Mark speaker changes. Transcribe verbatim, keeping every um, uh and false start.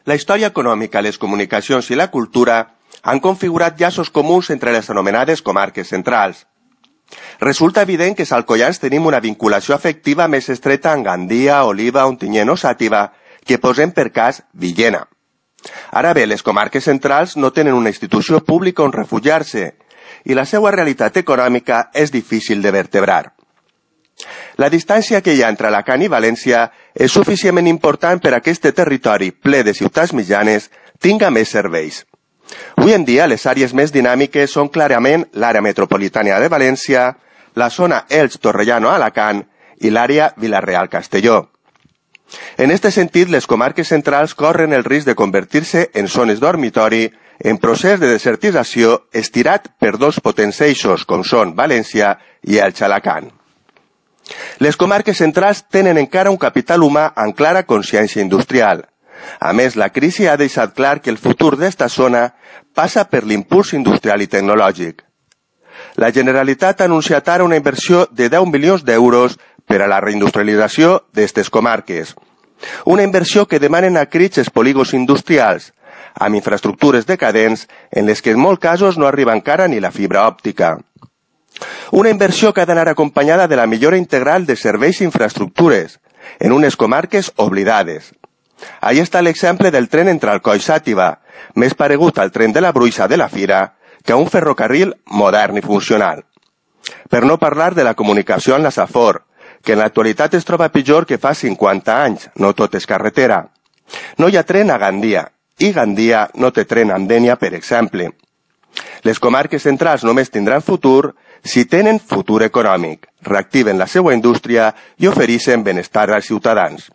Speaker 1: La història econòmica, les comunicacions i la cultura han configurat llaços comuns entre les anomenades comarques centrals. Resulta evident que els alcoians tenim una vinculació afectiva més estreta amb Gandia, Oliva, Ontinyent o Xàtiva, que posem per cas Villena. Ara bé, les comarques centrals no tenen una institució pública on refugiar-se i la seva realitat econòmica és difícil de vertebrar. La distància que hi ha entre Alacant i València és suficientment important per a que aquest territori ple de ciutats mitjanes tinga més serveis. Avui en dia, les àrees més dinàmiques són clarament l'àrea metropolitana de València, la zona Elx-Torrellano-Alacant i l'àrea Vila-real-Castelló. En aquest sentit, les comarques centrals corren el risc de convertir-se en zones dormitori en procés de desertització estirat per dos potents eixos com són València i Elx-Alacant. Les comarques centrals tenen encara un capital humà amb clara consciència industrial. A més, la crisi ha deixat clar que el futur d'esta zona passa per l'impuls industrial i tecnològic. La Generalitat ha anunciat ara una inversió de deu milions d'euros per a la reindustrialització d'aquestes comarques. Una inversió que demanen a crits els polígons industrials, amb infraestructures decadents en les que en molts casos no arriba encara ni la fibra òptica. Una inversió que ha d'anar acompanyada de la millora integral de serveis i infraestructures, en unes comarques oblidades. Ahí està l'exemple del tren entre Alcoi i Xàtiva, més paregut al tren de la Bruixa de la Fira que a un ferrocarril modern i funcional. Per no parlar de la comunicació amb la Safor, que en l'actualitat es troba pitjor que fa cinquanta anys, no tot és carretera. No hi ha tren a Gandia, i Gandia no té tren a Dénia, per exemple. Les comarques centrals només tindran futur si tenen futur econòmic, reactiven la seva indústria i ofereixen benestar als ciutadans.